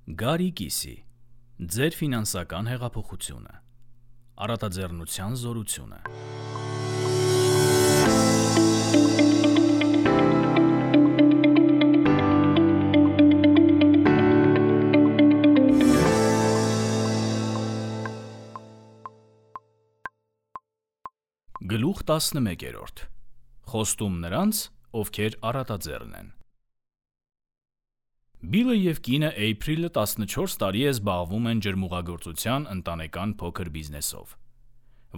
Գարի կիսի, ձեր ֆինանսական հեղափոխությունը, առատաձեռնության զորությունը։ Գլուխ 11. Խոստում նրանց, ովքեր առատաձեռն են։ Բիլը և կինը Էյփրիլը 14 տարի է զբաղվում են ջրմուղագործության ընտանեկան փոքր բիզնեսով։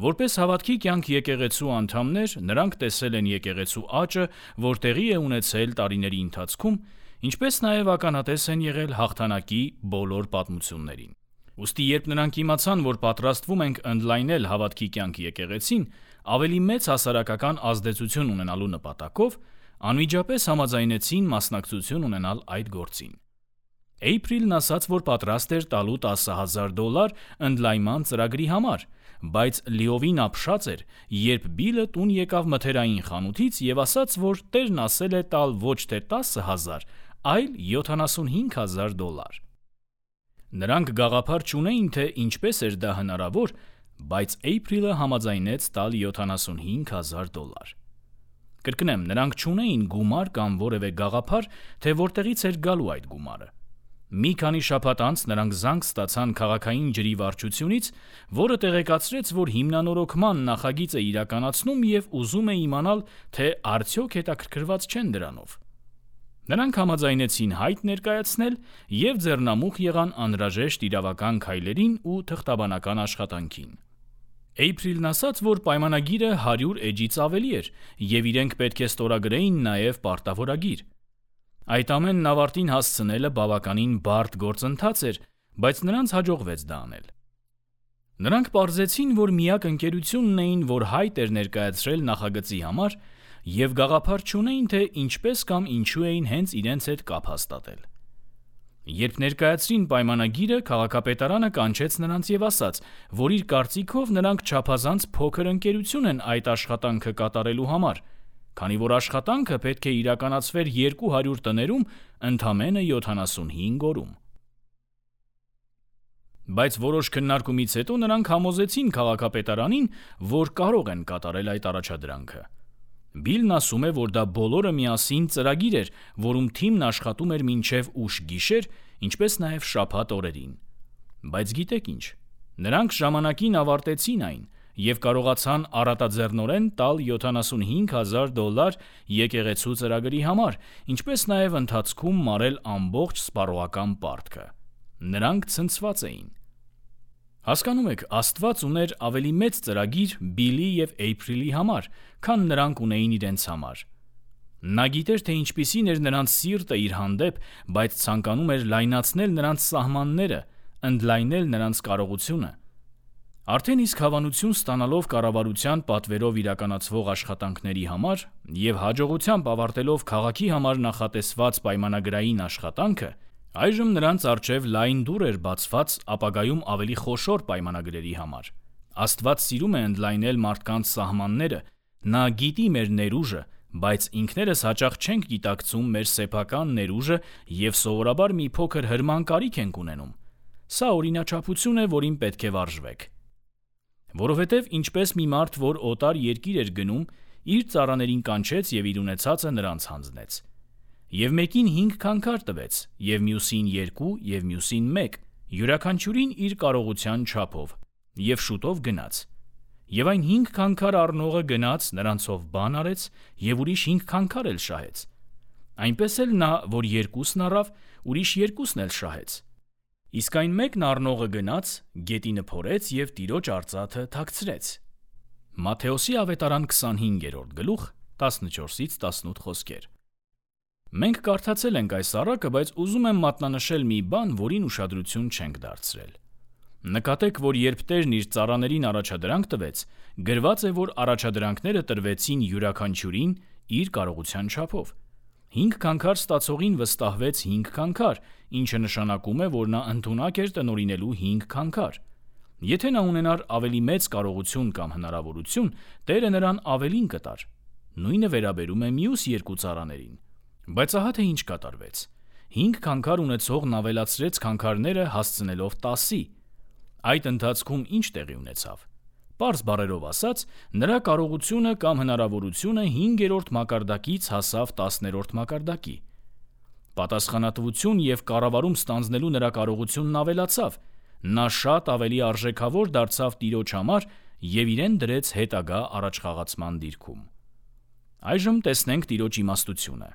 Որպես հավատքի կյանք եկեղեցու անդամներ, նրանք տեսել են եկեղեցու աճը, որ տեղի է ունեցել տարիների ընթացքում, ինչպես նաև ականատես են եղել հաղթանակի բոլոր պատմություններին։ Ուստի երբ նրանք իմացան, որ պատրաստվում ենք ընդլայնել հավատքի կյանք եկեղեցին, ավելի մեծ հասարակական ազդեցություն ունենալու նպատակով, անմիջապես համաձայնեցին մասնակցություն ունենալ այդ գործին։ Էյփրիլն ասաց, որ պատրաստ էր տալու $10,000 ընդլայնման ծրագրի համար, բայց լիովին ապշած էր, երբ Բիլը տուն եկավ մթերային խանութից և ասաց, որ Տերն ասել է տալ ոչ թե 10,000, այլ $75,000։ Նրանք գաղափար չունեին, թե ինչպես էր դա հնարավոր, բայց Էյփրիլը համաձայնեց տալ $75,000։ Կրկնեմ, նրանք չունեին գումար կամ որևէ գաղափար, թե որտեղից էր գալու այդ գումարը։ Մի քանի շաբաթ անց նրանք զանգ ստացան քաղաքային ջրի վարչությունից, որը տեղեկացրեց, որ հիմնանորոգման նախագիծ է իրականացնում և ուզում է իմանալ, թե արդյոք հետաքրքրված չեն դրանով։ Նրանք համաձայնեցին հայտ ներկայացնել և ձեռնամուխ եղան անհրաժեշտ իրավական քայլերին ու թղթաբանական աշխատանքին։ Էյփրիլն ասաց, որ պայմանագիրը 100 էջից ավելի էր, և իրենք պետք է ստորագրեին նաև պարտավորագիր։ Այդ ամենն ավարտին հասցնելը բավականին բարդ գործընթաց էր, բայց նրանց հաջողվեց դա անել։ Նրանք պարզեցին, որ միակ ընկերությունն էին, որ հայտ էր ներկայացրել նախագծի համար, և գաղափար չունեին, թե ինչպես կամ ինչու էին հենց իրենց հետ կապ հաստատել։ Երբ ներկայացրին պայմանագիրը, քաղաքապետարանը կանչեց նրանց և ասաց, որ իր կարծիքով նրանք չափազանց փոքր ընկերություն են այդ աշխատանքը կատարելու համար, քանի որ աշխատանքը պետք է իրականացվեր 200 տներում ընդամենը 75 օրում։ Բայց որոշ քննարկումից հետո նրանք համոզեցին քաղաքապետարանին, որ կարող են կատարել այդ առաջադրանքը։ Բիլն ասում է, որ դա բոլորը միասին ծրագիր էր, որում թիմն աշխատում էր մինչև ուշ գիշեր, ինչպես նաև շաբաթ օրերին։ Բայց գիտեք ինչ, նրանք ժամանակին ավարտեցին այն և կարողացան առատաձեռնորեն տալ $75,000 եկեղեցու ծրագրի համար, ինչպես նաև ընթացքում մարել ամբողջ սպառողական պարտքը։ Նրանք ցնցված էին։ Հասկանում եք, Աստված ուներ ավելի մեծ ծրագիր Բիլի և Էյփրիլի համար, քան նրանք ունեին իրենց համար։ Նա գիտեր, թե ինչպիսին էր նրանց սիրտը իր հանդեպ, բայց ցանկանում էր լայնացնել նրանց սահմանները, ընդլայնել նրանց կարողությունը։ Արդեն իսկ հավանություն ստանալով կառավարության պատվերով իրականացվող աշխատանքների համար և հաջողությամբ ավարտելով քաղաքի համար նախատեսված պայմանագրային աշխատանքը, այժմ նրանց առջև լայն դուռ էր բացված ապագայում ավելի խոշոր պայմանագրերի համար։ Աստված սիրում է ընդլայնել մարդկանց սահմանները, Նա գիտի մեր ներուժը, բայց ինքներս հաճախ չենք գիտակցում մեր սեփական ներուժը և սովորաբար մի փոքր հրման կարիք ենք ունենում։ Սա օրինաչափություն է, որին պետք է վարժվեք։ Որովհետև ինչպես մի մարդ, որ օտար երկիր էր գնում, իր ծառաներին կանչեց և իր ունեցածը նրանց հանձնեց։ Եվ մեկին 5 քանքար տվեց, և մյուսին 2, և մյուսին 1, յուրաքանչյուրին իր կարողության չափով, և շուտով գնաց։ Եվ այն 5 քանքար առնողը գնաց, նրանցով բան արեց և ուրիշ 5 քանքար էլ շահեց։ Այնպես էլ նա, որ 2-ն առավ, ուրիշ 2-ն էլ շահեց։ Իսկ այն մեկն առնողը գնաց, գետինը փորեց և տիրոջ արծաթը թաքցրեց։ Մատթեոսի ավետարան 25-րդ գլուխ 14-18 խոսքեր։ Մենք կարդացել ենք այս առակը, բայց ուզում եմ մատնանշել մի բան, որին ուշադրություն չենք դարձրել։ Նկատեք, որ երբ Տերն իր ծառաներին առաջադրանք տվեց, գրված է, որ առաջադրանքները տրվեցին յուրաքանչյուրին իր կարողության չափով։ 5 քանքար ստացողին վստահվեց 5 քանքար, ինչը նշանակում է, որ նա ընդունակ էր տնօրինելու 5 քանքար։ Եթե նա ունենար ավելի մեծ կարողություն կամ հնարավորություն, Տերը նրան ավելին կտար։ Նույնը վերաբերում է մյուս 2 ծառաներին։ Բայց ահա թե ինչ կատարվեց։ 5 քանքար ունեցողն ավելացրեց քանքարները հասցնելով 10-ի։ Այդ ընթացքում ինչ տեղի ունեցավ։ Պարզ բառերով ասած, նրա կարողությունը կամ հնարավորությունը 5-րդ մակարդակից հասավ 10-րդ մակարդակի։ Պատասխանատվություն և կառավարում ստանձնելու նրա կարողությունն ավելացավ, նա շատ ավելի արժեքավոր դարձավ Տիրոջ համար և իրեն դրեց հետագա առաջխաղացման դիրքում։ Այժմ տեսնենք Տիրոջ իմաստությունը։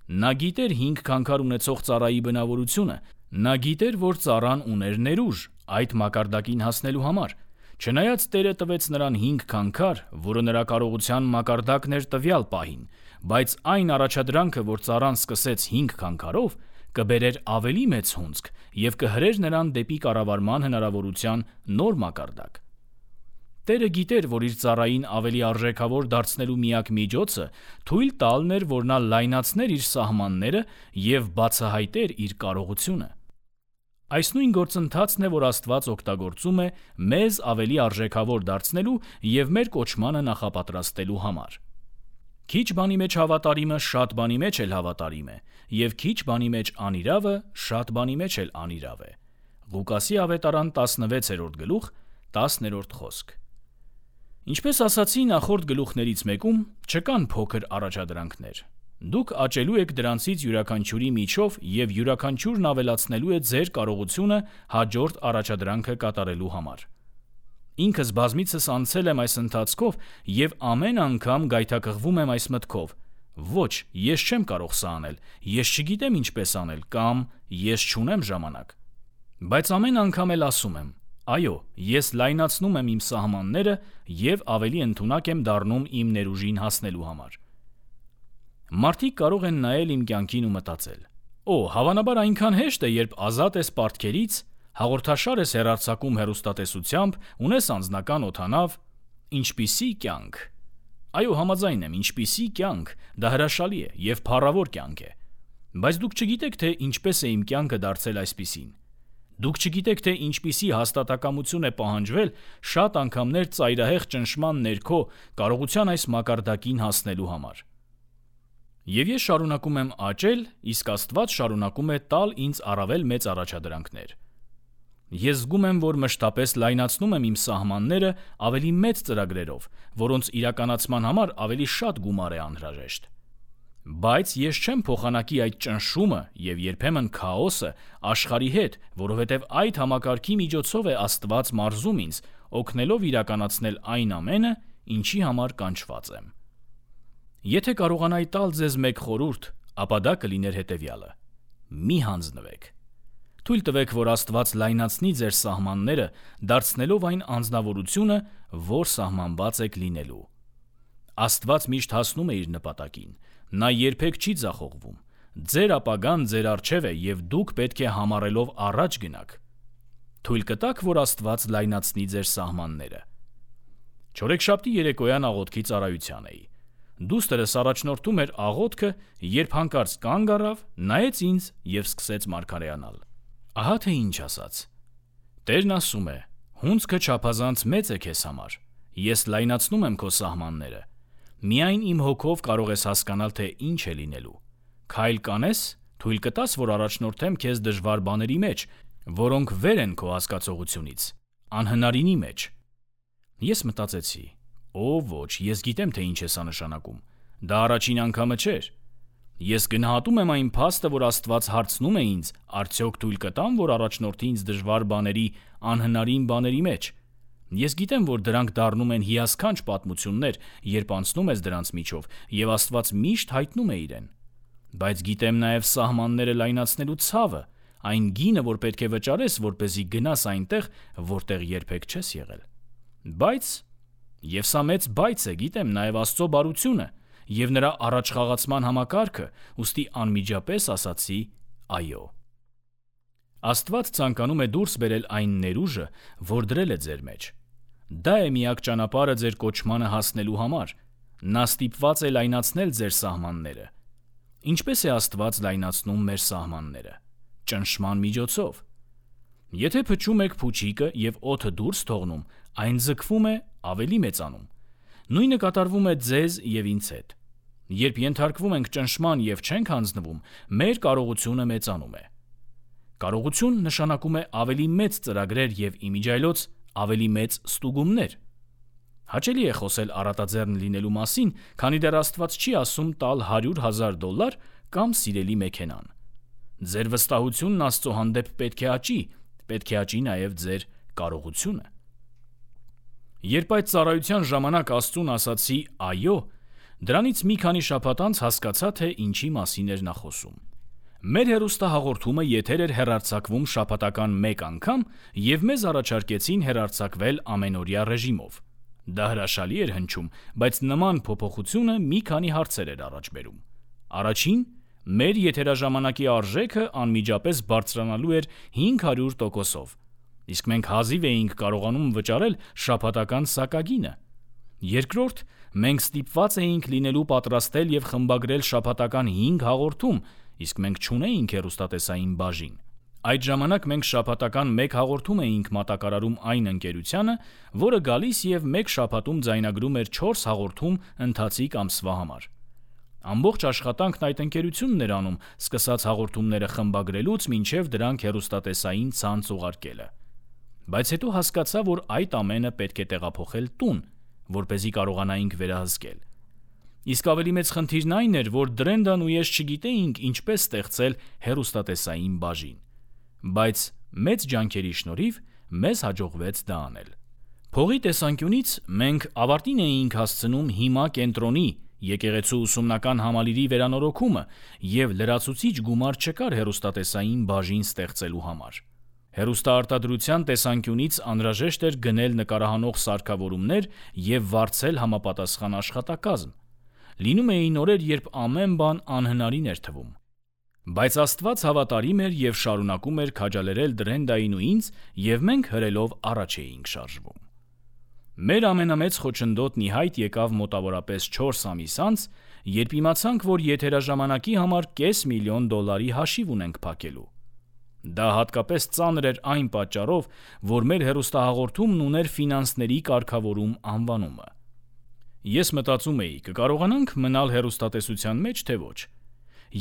Նա գիտեր 5 քանքար ունեցող ծառայի բնավորությունը, նա գիտեր, որ ծառան ուներ ներուժ այդ մակարդակին հասնելու համար։ Չնայած Տերը տվեց նրան 5 քանքար, որը նրա կարողության մակարդակն էր տվյալ պահին, բայց այն առաջադրանքը, որ ծառան սկսեց 5 քանքարով, կբերեր ավելի մեծ հունձք և կհրեր նրան դեպի կառավարման հնարավորության նոր մակարդակ։ Տերը գիտեր, որ իր ծառային ավելի արժեքավոր դարձնելու միակ միջոցը թույլ տալն էր, որ նա լայնացներ իր սահմանները և բացահայտեր իր կարողությունը։ Այս նույն գործընթացն է, որ Աստված օգտագործում է մեզ ավելի արժեքավոր դարձնելու և մեր կոչմանը նախապատրաստելու համար։ Քիչ բանի մեջ հավատարիմը շատ բանի մեջ էլ հավատարիմ է, և քիչ բանի մեջ անիրավը շատ բանի մեջ էլ անիրավ է։ Ղուկասի ավետարան 16-րդ գլուխ 10-րդ խոսք։ Ինչպես ասացի նախորդ գլուխներից մեկում, չկան փոքր առաջադրանքներ։ Դուք աճելու եք դրանցից յուրաքանչյուրի միջով և յուրաքանչյուրն ավելացնելու է ձեր կարողությունը հաջորդ առաջադրանքը կատարելու համար։ Ինքս բազմիցս անցել եմ այս ընթացքով և ամեն անգամ գայթակղվում եմ այս մտքով. ոչ, ես չեմ կարող սա անել, ես չգիտեմ ինչպես անել կամ ես չունեմ ժամանակ։ Բայց ամեն անգամ էլ ասում եմ. այո, ես լայնացնում եմ իմ սահմանները և ավելի ընդունակ եմ դառնում իմ ներուժին հասնելու համար։ Մարդիկ կարող են նայել իմ կյանքին ու մտածել. «Օ, հավանաբար այնքան հեշտ է, երբ ազատ ես պարտքերից, հաղորդաշար ես հեռարձակում հեռուստատեսությամբ, ունես անձնական օդանավ, ինչպիսի կյանք»։ Այո, համաձայն եմ, ինչպիսի կյանք, դա հրաշալի է և փառավոր կյանք է։ Բայց դուք չգիտեք, թե ինչպես է իմ կյանքը դարձել այսպիսին։ Դուք չգիտեք, թե ինչպիսի հաստատակամություն է պահանջվել շատ անգամներ ծայրահեղ ճնշման ներքո կարողության այս մակարդակին հասնելու համար։ Եվ ես շարունակում եմ աճել, իսկ Աստված շարունակում է տալ ինձ առավել մեծ առաջադրանքներ։ Ես զգում եմ, որ մշտապես լայնացնում եմ իմ սահմանները ավելի մեծ ծրագրերով, որոնց իրականացման համար ավելի շատ գումար է անհրաժեշտ։ Բայց ես չեմ փոխանակի այդ ճնշումը և երբեմն քաոսը աշխարհի հետ, որովհետև այդ համակարգի միջոցով է Աստված մարզում ինձ, օգնելով իրականացնել այն ամենը, ինչի համար կանչված եմ։ Եթե կարողանայի տալ ձեզ մեկ խորհուրդ, ապա դա կլիներ հետևյալը. մի հանձնվեք։ Թույլ տվեք, որ Աստված լայնացնի ձեր սահմանները, դարձնելով այն անձնավորությունը, որ սահմանված եք լինելու։ Աստված միշտ հասնում է իր նպատակին, նա երբեք չի ձախողվում։ Ձեր ապագան ձեր առջև է և դուք պետք է համառելով առաջ գնաք։ Թույլ կտաք, որ Աստված լայնացնի ձեր սահմանները։ Չորեքշաբթի երեկոյան աղոթքի ծառայության էի։ Դուստրս առաջնորդում էր աղոթքը, երբ հանկարծ կանգ առավ, նայեց ինձ և սկսեց մարգարեանալ։ Ահա թե ինչ ասաց. Տերն ասում է. հունձքը չափազանց մեծ է քեզ համար, ես լայնացնում եմ քո սահմանները։ Միայն իմ հոգով կարող ես հասկանալ, թե ինչ է լինելու։ Քայլ կանես, թույլ կտաս, որ առաջնորդեմ քեզ դժվար բաների մեջ, որոնք վեր են քո հասկացողությունից, անհնարինի մեջ։ Ես մտածեցի. Օ ոչ, ես գիտեմ, թե ինչ է սա նշանակում։ Դա առաջին անգամը չէր։ Ես գնահատում եմ այն փաստը, որ Աստված հարցնում է ինձ, արդյոք թույլ կտամ, որ առաջնորդի ինձ դժվար բաների, անհնարին բաների մեջ։ Ես գիտեմ, որ դրանք դառնում են հիասքանչ պատմություններ, երբ անցնում ես դրանց միջով, և Աստված միշտ հայտնում է իրեն։ Բայց գիտեմ նաև սահմանները լայնացնելու ցավը, այն գինը, որ պետք է վճարես, որպեսզի գնաս այնտեղ, որտեղ երբեք չես եղել։ Բայց, և սա մեծ բայց է, գիտեմ նաև Աստծո բարությունը և նրա առաջխաղացման համակարգը, ուստի անմիջապես ասացի այո։ Աստված ցանկանում է դուրս բերել այն ներուժը, որ դրել է ձեր մեջ։ Դա է միակ ճանապարհը ձեր կոչմանը հասնելու համար։ Նա ստիպված է լայնացնել ձեր սահմանները։ Ինչպես է Աստված լայնացնում մեր սահմանները։ Ճնշման միջոցով։ Եթե փչում եք փուչիկը և օդը դուրս թողնում, այն ձգվում է, ավելի մեծանում։ Նույնը կատարվում է ձեզ և ինձ հետ։ Երբ ենթարկվում ենք ճնշման եւ չենք հանձնվում, մեր կարողությունը մեծանում է։ Կարողություն նշանակում է ավելի մեծ ծրագրեր եւ իմիջիայլոց ավելի մեծ ստուգումներ։ Հաճելի է խոսել առատաձեռն լինելու մասին, քանի դեռ Աստված չի ասում տալ $100,000 կամ սիրելի մեքենան։ Ձեր վստահությունն Աստծո հանդեպ պետք է աճի նաև ձեր կարողությունը։ Երբ այդ ծառայության ժամանակ Աստծուն ասացի այո, դրանից մի քանի շաբաթ անց հասկացա, թե ինչի մասին էր նա խոսում։ Մեր հեռուստահաղորդումը եթեր էր հեռարձակվում շաբաթական մեկ անգամ և մեզ առաջարկեցին հեռարձակվել ամենօրյա ռեժիմով։ Դա հրաշալի էր հնչում, բայց նման փոփոխությունը մի քանի հարցեր էր առաջ բերում։ Առաջին, մեր եթերաժամանակի արժեքը անմիջապես բարձրանալու էր 500%-ով, իսկ մենք հազիվ էինք կարողանում վճարել շաբաթական սակագինը։ Երկրորդ, մենք ստիպված էինք լինելու պատրաստել և խմբագրել շաբաթական 5 հաղորդում, իսկ մենք չունեինք հեռուստատեսային բաժին։ Այդ ժամանակ մենք շաբաթական 1 հաղորդում էինք մատակարարում այն ընկերությանը, որը գալիս և մեկ շաբաթում ձայնագրում էր 4 հաղորդում ընթացիկ ամսվա համար։ Ամբողջ աշխատանքն այդ ընկերությունն էր անում, սկսած հաղորդումները խմբագրելուց մինչև դրանք հեռուստատեսային ցանց ուղարկելը։ Բայց հետո հասկացա, որ այդ ամենը պետք է տեղափոխել տուն, որպեսզի կարողանայինք վերահսկել։ Իսկ ավելի մեծ խնդիրն այն էր, որ Դրենդան ու ես չգիտեինք ինչպես ստեղծել հեռուստատեսային բաժին։ Բայց մեծ ջանքերի շնորհիվ մեզ հաջողվեց դա անել։ Փողի տեսանկյունից մենք ավարտին էինք հասցնում հիմա կենտրոնի եկեղեցու ուսումնական համալիրի վերանորոգումը և լրացուցիչ գումար չկար հեռուստատեսային բաժին ստեղծելու համար։ Հեռուստաարտադրության տեսանկյունից անհրաժեշտ էր գնել նկարահանող սարքավորումներ և վարձել համապատասխան աշխատակազմ։ Լինում էին օրեր, երբ ամեն բան անհնարին էր թվում։ Բայց Աստված հավատարիմ էր և շարունակում էր քաջալերել Դրենդային ու ինձ, և մենք հրելով առաջ էինք շարժվում։ Մեր ամենամեծ խոչընդոտն ի հայտ եկավ մոտավորապես 4 ամիս անց, երբ իմացանք, որ եթերաժամանակի համար $500,000 հաշիվ ունենք փակելու։ Դա հատկապես ծանր էր այն պատճառով, որ մեր հեռուստահաղորդումն ուներ ֆինանսների կարգավորում անվանումը։ Ես մտածում էի՝ կկարողանանք մնալ հեռուստատեսության մեջ, թե ոչ։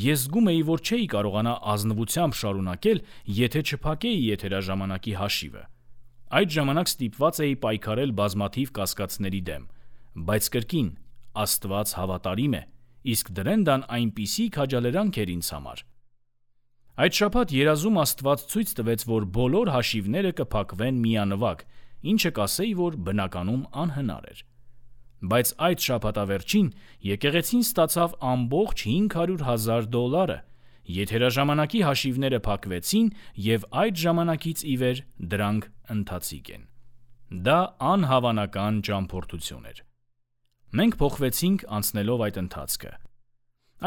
Ես զգում էի, որ չէի կարողանա ազնվությամբ շարունակել, եթե չփակեի եթերաժամանակի հաշիվը։ Այդ ժամանակ ստիպված էի պայքարել բազմաթիվ կասկածների դեմ, բայց կրկին Աստված հավատարիմ է, իսկ Դրենդան այնպիսի քաջալերանք էր ինձ համար։ Այդ շաբաթ երազում Աստված ցույց տվեց, որ բոլոր հաշիվները կփակվեն միանվագ, ինչը կասեի, որ բնականում անհնար էր։ Բայց այդ շաբաթավերջին եկեղեցին ստացավ ամբողջ $500,000, եթերաժամանակի հաշիվները փակվեցին և այդ ժամանակից ի վեր դրանք ընթացիկ են։ Դա անհավանական ճամփորդություն էր։ Մենք փոխվեցինք անցնելով այդ ընթացքը։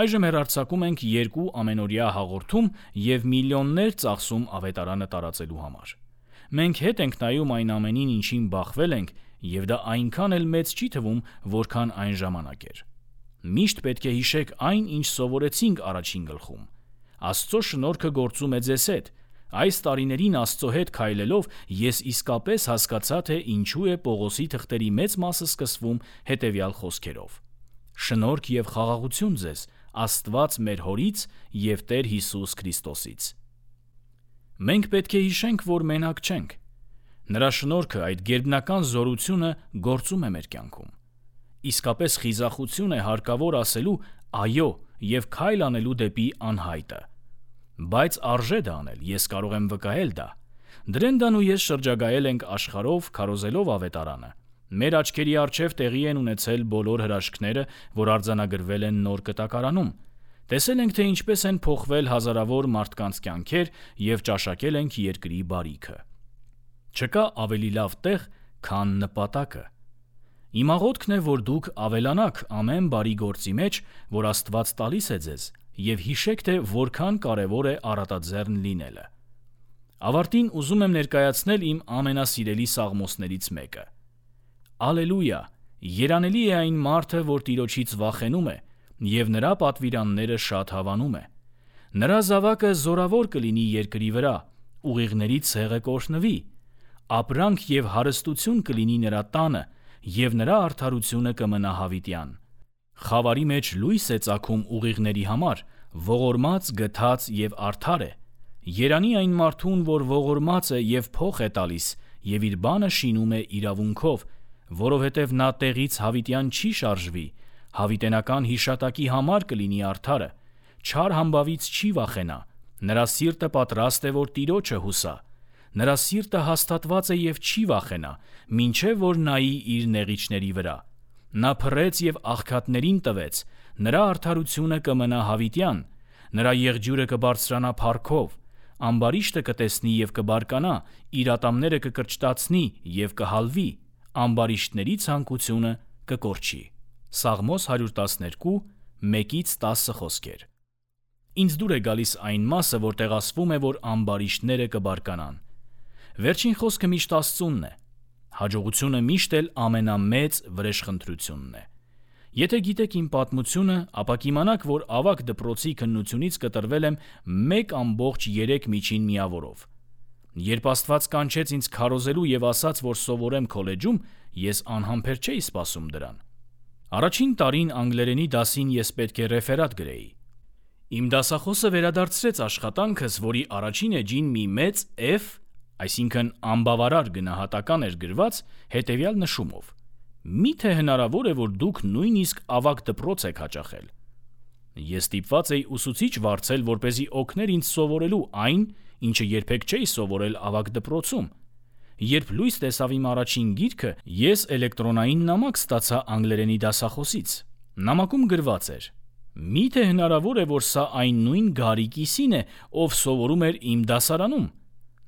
Այժմ հեռարձակում ենք 2 ամենօրյա հաղորդում և միլիոններ ծախսում ավետարանը տարածելու համար։ Մենք հետ ենք նայում այն ամենին, ինչին բախվել ենք, և դա այնքան էլ մեծ չի թվում, որքան այն ժամանակ էր։ Միշտ պետք է հիշեք այն, ինչ սովորեցինք առաջին գլխում։ Աստծո շնորհքը գործում է ձեզ հետ։ Այս տարիներին Աստծո հետ քայլելով ես իսկապես հասկացա, թե ինչու է Պողոսի թղթերի մեծ մասը սկսվում հետևյալ խոսքերով. «Շնորհք և խաղաղություն ձեզ Աստված մեր Հորից և Տեր Հիսուս Քրիստոսից»։ Մենք պետք է հիշենք, որ մենակ չենք։ Նրա շնորհքը, այդ գերբնական զորությունը գործում է մեր կյանքում։ Իսկապես խիզախություն է հարկավոր ասելու այո և քայլ անելու դեպի անհայտը։ Բայց արժե դա անել, ես կարող եմ վկայել դա։ Դրենդան ու ես շրջագայել ենք աշխարհով, քարոզելով ավետարանը։ Մեր աչքերի առջև տեղի են ունեցել բոլոր հրաշքները, որ արձանագրվել են նոր կտակարանում։ Տեսել ենք, թե ինչպես են փոխվել հազարավոր մարդկանց կյանքեր և ճաշակել ենք երկրի բարիքը։ Չկա ավելի լավ տեղ, քան նպատակը։ Իմ աղոթքն է, որ դուք ավելանաք ամեն բարի գործի մեջ, որ Աստված տալիս է ձեզ, և հիշեք, թե որքան կարևոր է առատաձեռն լինելը։ Ավարտին ուզում եմ ներկայացնել իմ ամենասիրելի սաղմոսներից մեկը։ Ալելույա, երանելի է այն մարդը, որ Տիրոջից վախենում է, և նրա պատվիրանները շատ հավանում է։ Նրա զավակը զորավոր կլինի երկրի վրա, ուղիղների ցեղը կօրհնվի, ապրանք և հարստություն կլինի նրա տանը, և նրա արդարությունը կմնա հավիտյան։ Խավարի մեջ լույս է ծագում ուղիղների համար, ողորմած, գթած և արդար է։ Երանի այն մարդուն, որ ողորմած է և փող է տալիս, և իր բանը շինում է իրավունքով, որովհետև նա տեղից հավիտյան չի շարժվի, հավիտենական հիշատակի համար կլինի արդարը, չար համբավից չի վախենա, նրա սիրտը պատրաստ է, որ Տիրոջը հուսա, նրա սիրտը հաստատված է և չի վախենա, մինչև որ նայի իր նեղիչների վրա։ Նա փռեց և աղքատներին տվեց, նրա արդարությունը կմնա հավիտյան, նրա եղջյուրը կբարձրանա փառքով, ամբարիշտը կտեսնի և կբարկանա, իր ատամները կկրճտացնի և կհալվի, ամբարիշտների ցանկությունը կկորչի։ Սաղմոս 112, 1-10 խոսքեր։ Ինձ դուր է գալիս այն մասը, որտեղ ասվում է, որ ամբարիշտները կբարկանան։ Վերջին խոսքը միշտ Աստծունն է։ Հաջողությունը միշտ էլ ամենամեծ վրեժխնդրությունն է։ Եթե գիտեք իմ պատմությունը, ապա կիմանաք, որ ավագ դպրոցի քննությունից կտրվել եմ 1.3 միջին միավորով։ Երբ Աստված կանչեց ինձ քարոզելու և ասաց, որ սովորեմ քոլեջում, ես անհամբեր չէի սպասում դրան։ Առաջին տարին անգլերենի դասին ես պետք է ռեֆերատ գրեի։ Իմ դասախոսը վերադարձրեց աշխատանքս, որի առաջին էջին մի մեծ F, այսինքն անբավարար գնահատական էր գրված հետևյալ նշումով. «Միթե հնարավոր է, որ դուք նույնիսկ ավագ դպրոց եք հաճախել»։ Ես ստիպված էի ուսուցիչ վարձել, որպեսզի օգներ ինձ սովորելու այն, ինչը երբեք չէի սովորել ավագ դպրոցում։ Երբ լույս տեսավ իմ առաջին գիրքը, ես էլեկտրոնային նամակ ստացա անգլերենի դասախոսից։ Նամակում գրված էր. «Միթե հնարավոր է, որ սա այն նույն Գարի Կիսին է, ով սովորում էր իմ դասարանում»։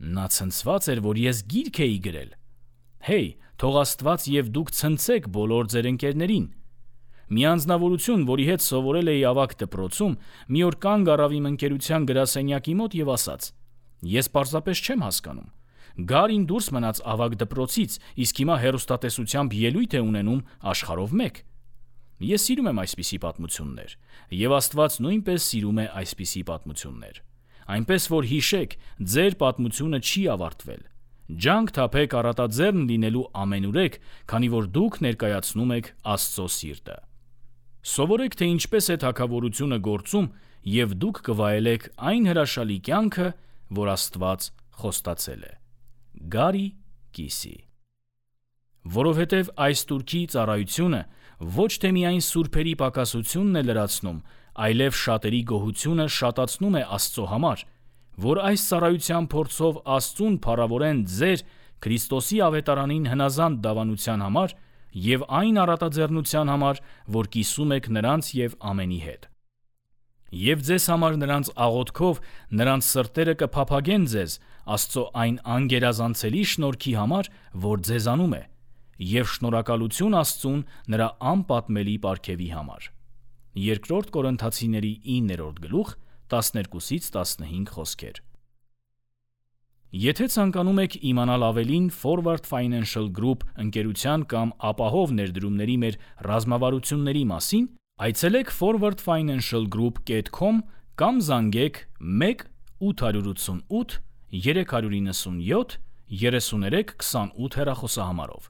Նա ցնցված էր, որ ես գիրք էի գրել։ Հեյ, թող Աստված և դուք ցնցեք բոլոր ձեր ընկերներին։ Մի անձնավորություն, որի հետ սովորել էի ավագ դպրոցում, մի օր կանգ առավ իմ ընկերության գրասենյակի մոտ և ասաց. «Ես պարզապես չեմ հասկանում։ Գարին դուրս մնաց ավագ դպրոցից, իսկ հիմա հեռուստատեսությամբ ելույթ է ունենում աշխարհով մեկ»։ Ես սիրում եմ այսպիսի պատմություններ, և Աստված նույնպես սիրում է այսպիսի պատմություններ։ Այնպես որ հիշեք, ձեր պատմությունը չի ավարտվել։ Ջանք թափեք առատաձեռն լինելու ամենուրեք, քանի որ դուք ներկայացնում եք Աստծո սիրտը։ Սովորեք, թե ինչպես է թագավորությունը գործում, և դուք կվայելեք այն հրաշալի կյանքը, որ Աստված խոստացել է։ Գարի Կիսի։ Որովհետև այս տուրքի ծառայությունը ոչ թե միայն սուրբերի պակասությունն է լրացնում, այլև շատերի գոհությունը շատացնում է Աստծո համար, որ այս ծառայության փորձով Աստծուն փառավորեն ձեր Քրիստոսի ավետարանին հնազանդ դավանության համար և այն առատաձեռնության համար, որ կիսում եք նրանց և ամենի հետ։ Եվ ձեզ համար նրանց աղոթքով նրանց սրտերը կփափագեն ձեզ Աստծո այն անգերազանցելի շնորհքի համար, որ ձեզանում է, և շնորհակալություն Աստծուն նրա անպատմելի պարգևի համար։ 2 Կորնթացիների 9-րդ գլուխ 12-15 խոսքեր։ Եթե ցանկանում եք իմանալ ավելին Forward Financial Group ընկերության կամ ապահով ներդրումների մեր ռազմավարությունների մասին, այցելեք forwardfinancialgroup.com կամ զանգեք 1-888 397 3328 հեռախոսահամարով։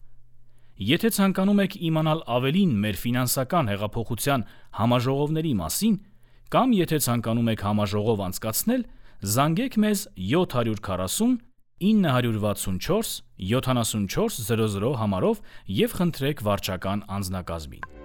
Եթե ցանկանում եք իմանալ ավելին մեր ֆինանսական հեղափոխության համաժողովների մասին, կամ եթե ցանկանում եք համաժողով անցկացնել, զանգեք մեզ 740 964 7400 համարով և խնդրեք վարչական անձնակազմին։